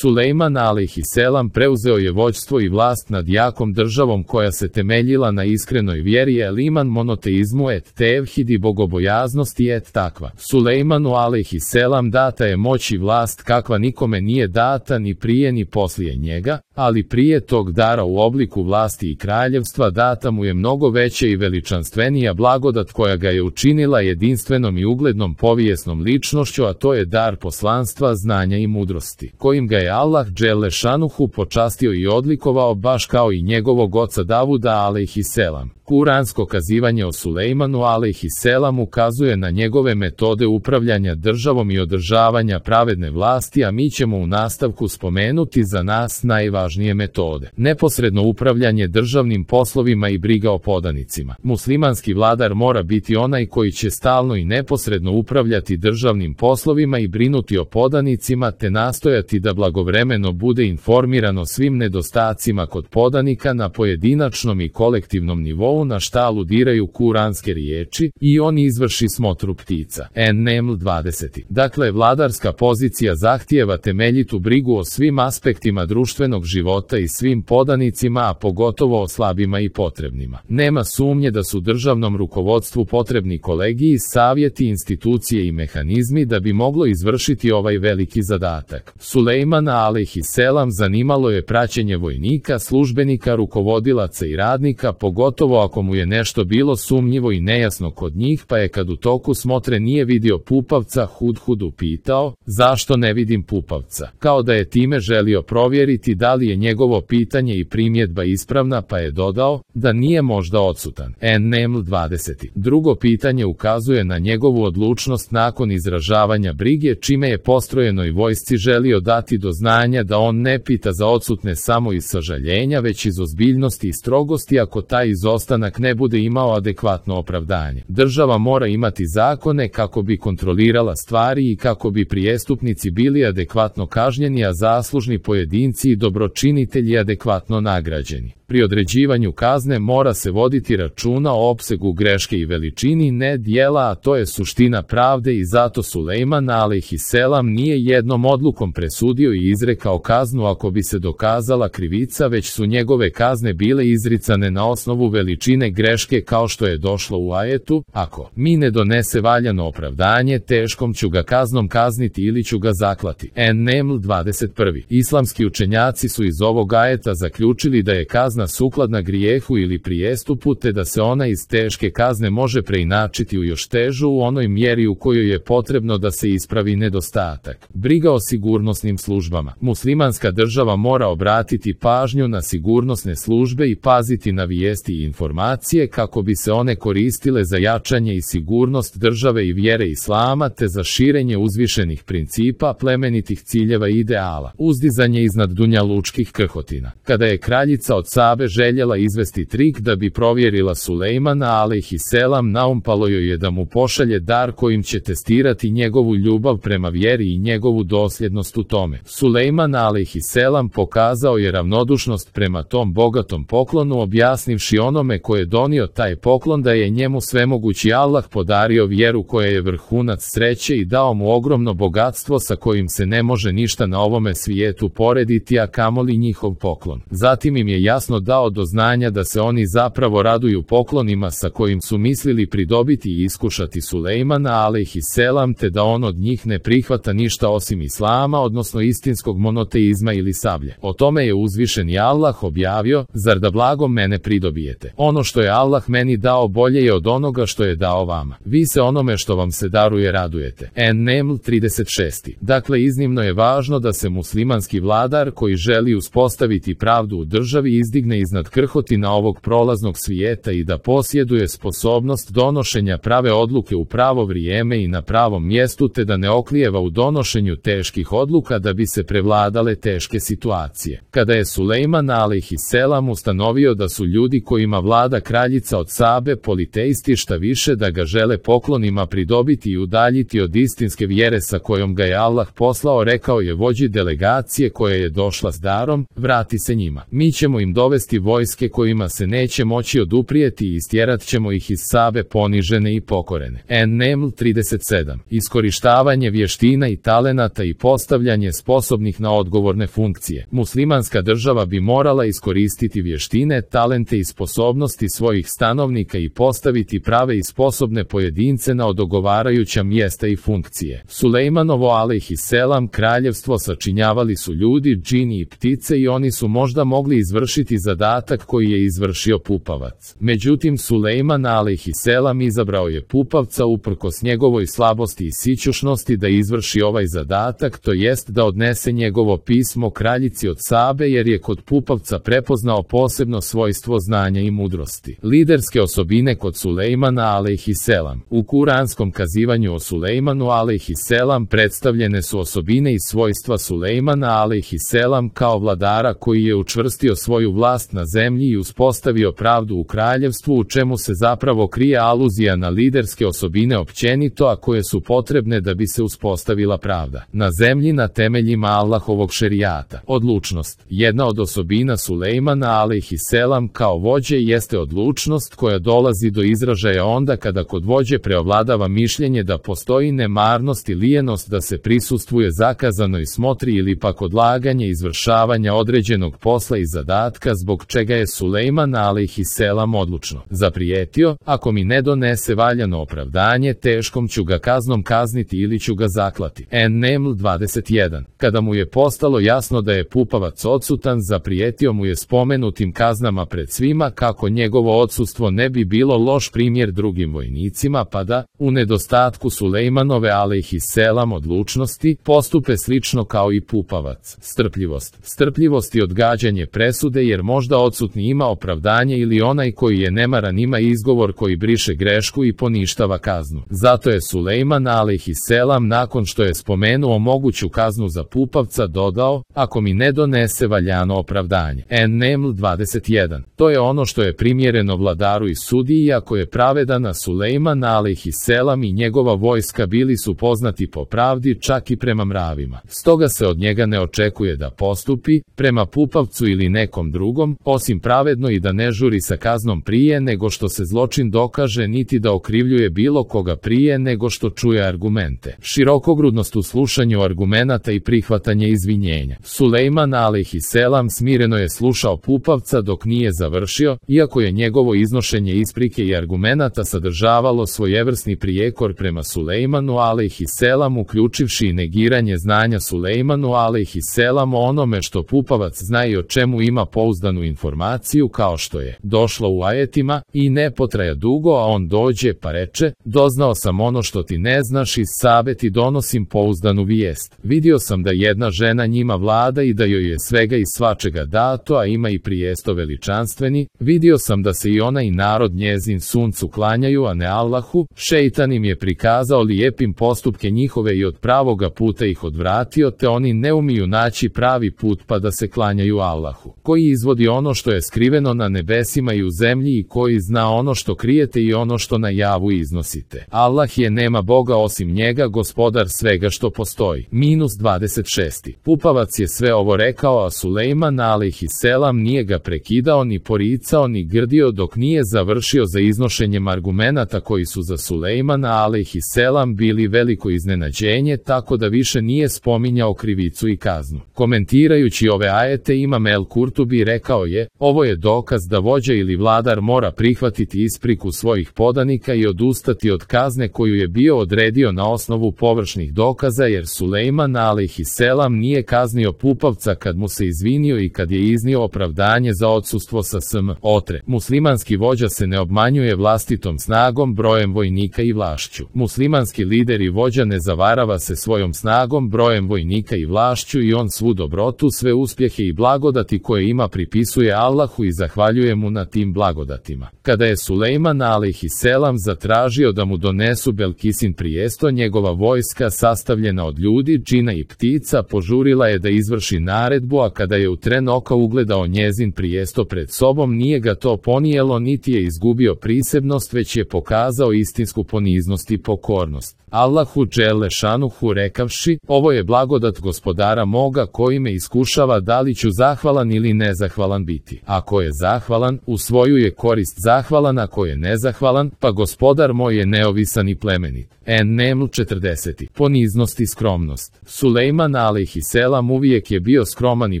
Sulejman alejhiselam preuzeo je vođstvo i vlast nad jakom državom koja se temeljila na iskrenoj vjeri iman monoteizmu et tevhid i bogobojaznosti et takva. Sulejmanu alejhiselam data je moć i vlast kakva nikome nije data ni prije ni poslije njega, ali prije tog dara u obliku vlasti i kraljevstva data mu je mnogo veća i veličanstvenija blagodat koja ga je učinila jedinstvenom i uglednom povijesnom ličnošću, a to je dar poslanstva, znanja i mudrosti, kojim ga je Allah dželešanuhu počastio i odlikovao baš kao i njegovog oca Davuda alejhiselam. Kuransko kazivanje o Sulejmanu alejhiselam ukazuje na njegove metode upravljanja državom i održavanja pravedne vlasti, a mi ćemo u nastavku spomenuti za nas najvažnije metode. Neposredno upravljanje državnim poslovima i briga o podanicima. Muslimanski vladar mora biti onaj koji će stalno i neposredno upravljati državnim poslovima i brinuti o podanicima, te nastojati da blagovremeno bude informiran o svim nedostacima kod podanika na pojedinačnom i kolektivnom nivou, na šta aludiraju kuranske riječi, i on izvrši smotru ptica. An-Naml 20. Dakle, vladarska pozicija zahtijeva temeljitu brigu o svim aspektima društvenog života i svim podanicima, a pogotovo o slabima i potrebnima. Nema sumnje da su državnom rukovodstvu potrebni kolegiji, savjeti, institucije i mehanizmi da bi moglo izvršiti ovaj veliki zadatak. Sulejmana alejhiselam zanimalo je praćenje vojnika, službenika, rukovodilaca i radnika, pogotovo ako mu je nešto bilo sumnjivo i nejasno kod njih, pa je kad u toku smotre nije vidio Pupavca, Hudhudu pitao, zašto ne vidim Pupavca? Kao da je time želio provjeriti da li je njegovo pitanje i primjedba ispravna, pa je dodao, da nije možda odsutan. An-Naml 20. Drugo pitanje ukazuje na njegovu odlučnost nakon izražavanja brige, čime je postrojenoj vojsci želio dati do znanja da on ne pita za odsutne samo iz sažaljenja, već iz ozbiljnosti i strogosti ako taj izostanak ne bude imao adekvatno opravdanje. Država mora imati zakone kako bi kontrolirala stvari i kako bi prijestupnici bili adekvatno kažnjeni, a zaslužni pojedinci i dobročinitelji adekvatno nagrađeni. Pri određivanju kazne mora se voditi računa o opsegu greške i veličini nedjela, a to je suština pravde, i zato Sulejman alejhiselam nije jednom odlukom presudio i izrekao kaznu ako bi se dokazala krivica, već su njegove kazne bile izricane na osnovu veličine greške, kao što je došlo u ajetu, ako mi ne donese valjano opravdanje, teškom ću ga kaznom kazniti ili ću ga zaklati. An-Naml 21. Islamski učenjaci su iz ovog ajeta zaključili da je kazna sukladna grijehu ili prijestupu, te da se ona iz teške kazne može preinačiti u još težu u onoj mjeri u kojoj je potrebno da se ispravi nedostatak. Briga o sigurnosnim službama. Muslimanska država mora obratiti pažnju na sigurnosne službe i paziti na vijesti i informacije kako bi se one koristile za jačanje i sigurnost države i vjere islama, te za širenje uzvišenih principa, plemenitih ciljeva i ideala. Uzdizanje iznad dunjalučkih krhotina. Kada je kraljica od Sabe željela izvesti trik da bi provjerila Sulejmana alejhiselam, naumpalo joj je da mu pošalje dar kojim će testirati njegovu ljubav prema vjeri i njegovu dosljednost u tome. Sulejman alejhiselam pokazao je ravnodušnost prema tom bogatom poklonu, objasnivši onome ko je donio taj poklon da je njemu svemogući Allah podario vjeru koja je vrhunac sreće i dao mu ogromno bogatstvo sa kojim se ne može ništa na ovome svijetu porediti, a kamoli njihov poklon. Zatim im je jasno dao do znanja da se oni zapravo raduju poklonima sa kojim su mislili pridobiti i iskušati Sulejmana alejhiselam, te da on od njih ne prihvata ništa osim islama, odnosno istinskog monoteizma ili sablje. O tome je uzvišeni Allah objavio, zar da blagom mene pridobijete? Ono što je Allah meni dao bolje je od onoga što je dao vama. Vi se onome što vam se daruje radujete. An-Naml 36. Dakle, iznimno je važno da se muslimanski vladar koji želi uspostaviti pravdu u državi izdigne iznad krhotina ovog prolaznog svijeta i da posjeduje sposobnost donošenja prave odluke u pravo vrijeme i na pravom mjestu, te da ne oklijeva u donošenju teških odluka da bi se prevladale teške situacije. Kada je Sulejman alejhiselam ustanovio da su ljudi kojima vlada mlada kraljica od Sabe politeisti, šta više da ga žele poklonima pridobiti i udaljiti od istinske vjere sa kojom ga je Allah poslao, rekao je vođi delegacije koja je došla s darom, vrati se njima. Mi ćemo im dovesti vojske kojima se neće moći oduprijeti i istjerat ćemo ih iz Sabe ponižene i pokorene. An-Naml 37. Iskorištavanje vještina i talenata i postavljanje sposobnih na odgovorne funkcije. Muslimanska država bi morala iskoristiti vještine, talente i sposobnosti svojih stanovnika i postaviti prave i sposobne pojedince na odgovarajuća mjesta i funkcije. Sulejmanovo alejhiselam kraljevstvo sačinjavali su ljudi, džini i ptice i oni su možda mogli izvršiti zadatak koji je izvršio pupavac. Međutim, Sulejman alejhiselam izabrao je pupavca uprkos njegovoj slabosti i sićušnosti da izvrši ovaj zadatak, to jest da odnese njegovo pismo kraljici od Sabe, jer je kod pupavca prepoznao posebno svojstvo znanja i mudrosti. Liderske osobine kod Sulejmana alejhiselam. U kuranskom kazivanju o Sulejmanu alejhiselam predstavljene su osobine i svojstva Sulejmana alejhiselam kao vladara koji je učvrstio svoju vlast na zemlji i uspostavio pravdu u kraljevstvu, u čemu se zapravo krije aluzija na liderske osobine općenito, a koje su potrebne da bi se uspostavila pravda na zemlji na temeljima Allahovog šerijata. Odlučnost. Jedna od osobina Sulejmana alejhiselam kao vođe jeste odlučnost koja dolazi do izražaja onda kada kod vođe preovladava mišljenje da postoji nemarnost i lijenost da se prisustvuje zakazanoj smotri ili pak odlaganje izvršavanja određenog posla i zadatka, zbog čega je Sulejman alejhiselam odlučno zaprijetio: ako mi ne donese valjano opravdanje, teškom ću ga kaznom kazniti ili ću ga zaklati. An-Naml 21. Kada mu je postalo jasno da je pupavac odsutan, zaprijetio mu je spomenutim kaznama pred svima, kako njegovo odsustvo ne bi bilo loš primjer drugim vojnicima, pa da, u nedostatku Sulejmanove alejhiselam odlučnosti, postupe slično kao i pupavac. Strpljivost. Strpljivost i odgađanje presude, jer možda odsutni ima opravdanje ili onaj koji je nemaran ima izgovor koji briše grešku i poništava kaznu. Zato je Sulejman alejhiselam nakon što je spomenuo moguću kaznu za pupavca dodao: ako mi ne donese valjano opravdanje. An-Naml 21. To je ono što je primjereno vladaru i sudiji, ako je pravedan, a Sulejman alejhiselam i njegova vojska bili su poznati po pravdi čak i prema mravima. Stoga se od njega ne očekuje da postupi prema pupavcu ili nekom drugom, osim pravedno, i da ne žuri sa kaznom prije nego što se zločin dokaže, niti da okrivljuje bilo koga prije nego što čuje argumente. Širokogrudnost u slušanju argumenata i prihvatanje izvinjenja. Sulejman alejhiselam smireno je slušao pupavca dok nije završio, iako je njegovo iznošenje isprike i argumenata sadržavalo svojevrsni prijekor prema Sulejmanu alejhiselam, uključivši i negiranje znanja Sulejmanu alejhiselam o onome što pupavac zna i o čemu ima pouzdanu informaciju, kao što je došlo u ajetima: i ne potraja dugo, a on dođe pa reče: doznao sam ono što ti ne znaš, iz Sabe ti donosim pouzdanu vijest. Vidio sam da jedna žena njima vlada i da joj je svega i svačega dato, a ima i prijesto veličanstveni. Vidio sam da se i ona i narod njezin suncu klanjaju, a ne Allahu. Šeitan im je prikazao lijepim postupke njihove i od pravoga puta ih odvratio, te oni ne umiju naći pravi put pa da se klanjaju Allahu, koji izvodi ono što je skriveno na nebesima i u zemlji i koji zna ono što krijete i ono što na javu iznosite. Allah je, nema Boga osim njega, gospodar svega što postoji. -26. Pupavac je sve ovo rekao, a Sulejman alejhiselam nije ga prekidao ni poricao ni grdio dok nije završio za iznošenjem argumenata koji su za Sulejmana alejhiselam bili veliko iznenađenje, tako da više nije spominjao krivicu i kaznu. Komentirajući ove ajete, Imam el-Kurtubi rekao je: ovo je dokaz da vođa ili vladar mora prihvatiti ispriku svojih podanika i odustati od kazne koju je bio odredio na osnovu površnih dokaza, jer Sulejman alejhiselam nije kaznio pupavca kad mu se izvinio i kad je iznio opravdanje za odsustvo sa otre. Muslimanski vođa se ne obmanjuje vlastitom snagom, brojem vojnika i vlašću. Muslimanski lider i vođa ne zavarava se svojom snagom, brojem vojnika i vlašću, i on svu dobrotu, sve uspjehe i blagodati koje ima pripisuje Allahu i zahvaljuje mu na tim blagodatima. Kada je Sulejman alejhiselam zatražio da mu donesu Belkisin prijesto, njegova vojska sastavljena od ljudi, džina i ptica požurila je da izvrši naredbu, a kada je u tren oka ugledao njezin prijesto pred sobom, nije ga to ponijelo niti je izgubio prisebnost, već je pokazao istinsku poniznost i pokornost. Allahu dželle šanuhu rekavši, ovo je blagodat gospodara moga koji me iskušava da li ću zahvalan ili nezahvalan biti. Ako je zahvalan, u svoju je korist zahvalan, ako je nezahvalan, pa gospodar moj je neovisan i plemenit. En-Neml 40. Poniznost i skromnost. Sulejman alejhiselam uvijek je bio skroman i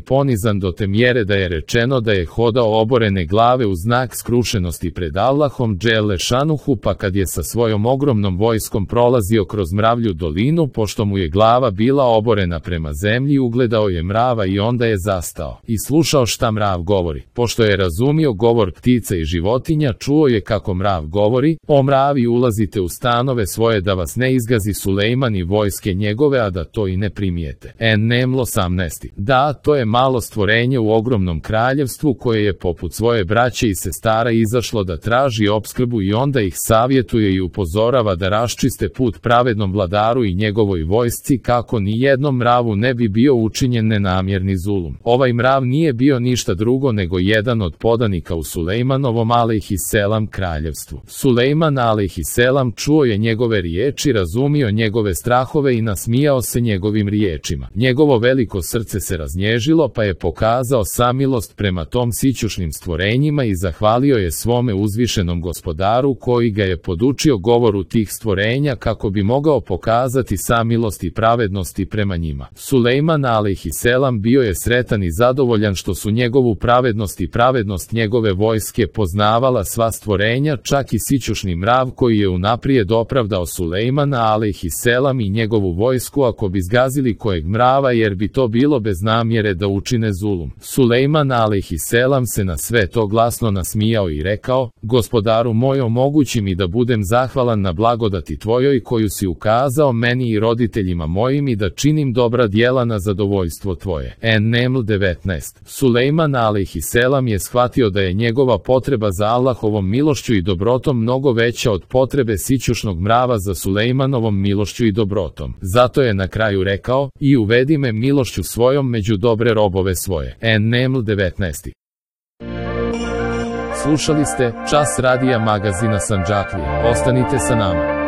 ponizan do te mjere da je rečeno da je hodao oborene glave u znak skrušenosti pred Allahom dželle šanuhu, pa kad je sa svojom ogromnom vojskom prolazio kroz mravlju dolinu, pošto mu je glava bila oborena prema zemlji, ugledao je mrava i onda je zastao i slušao šta mrav govori. Pošto je razumio govor ptica i životinja, čuo je kako mrav govori: o mravi, ulazite u stanove svoje da vas ne izgazi Sulejman i vojske njegove, a da to i ne primijete. En-Neml 18. Da, to je malo stvorenje u ogromnom kraljevstvu koje je poput svoje braće i sestara izašlo da traži opskrbu i onda ih savjetuje i upozorava da raščiste put pravednom vladaru i njegovoj vojsci, kako ni jednom mravu ne bi bio učinjen nenamjerni zulum. Ovaj mrav nije bio ništa drugo nego jedan od podanika u Sulejmanovom alejhiselam kraljevstvu. Sulejman alejhiselam čuo je njegove riječi, razumio njegove strahove i nasmijao se njegovim riječima. Njegovo veliko srce se raznježilo, pa je pokazao samilost prema tom sićušnim stvorenjima i zahvalio je svome uzvišenom gospodaru koji ga je podučio govoru tih stvorenja kako bi mogao pokazati samilost i pravednosti prema njima. Sulejman alejhiselam bio je sretan i zadovoljan što su njegovu pravednost i pravednost njegove vojske poznavala sva stvorenja, čak i sićušni mrav koji je unaprijed opravdao Sulejmana alejhiselam i njegovu vojsku ako bi zgazili kojeg mrava, jer bi to bilo bez namjere da učine zulum. Sulejman alejhiselam se na sve to glasno nasmijao i rekao: gospodaru moj, omogući mi da budem zahvalan na blagodati tvojoj koju si ukazao meni i roditeljima mojim i da činim dobra djela na zadovoljstvo tvoje. En-Neml 19. Sulejman alejhiselam je shvatio da je njegova potreba za Allahovom milošću i dobrotom mnogo veća od potrebe sićušnog mrava za Sulejmanovom milošću i dobrotom. Zato je na kraju rekao: i uvedi me milošću svojom među dobre robove svoje. En-Neml 19. Slušali ste Čas radija magazina Sandžaklije. Ostanite sa nama.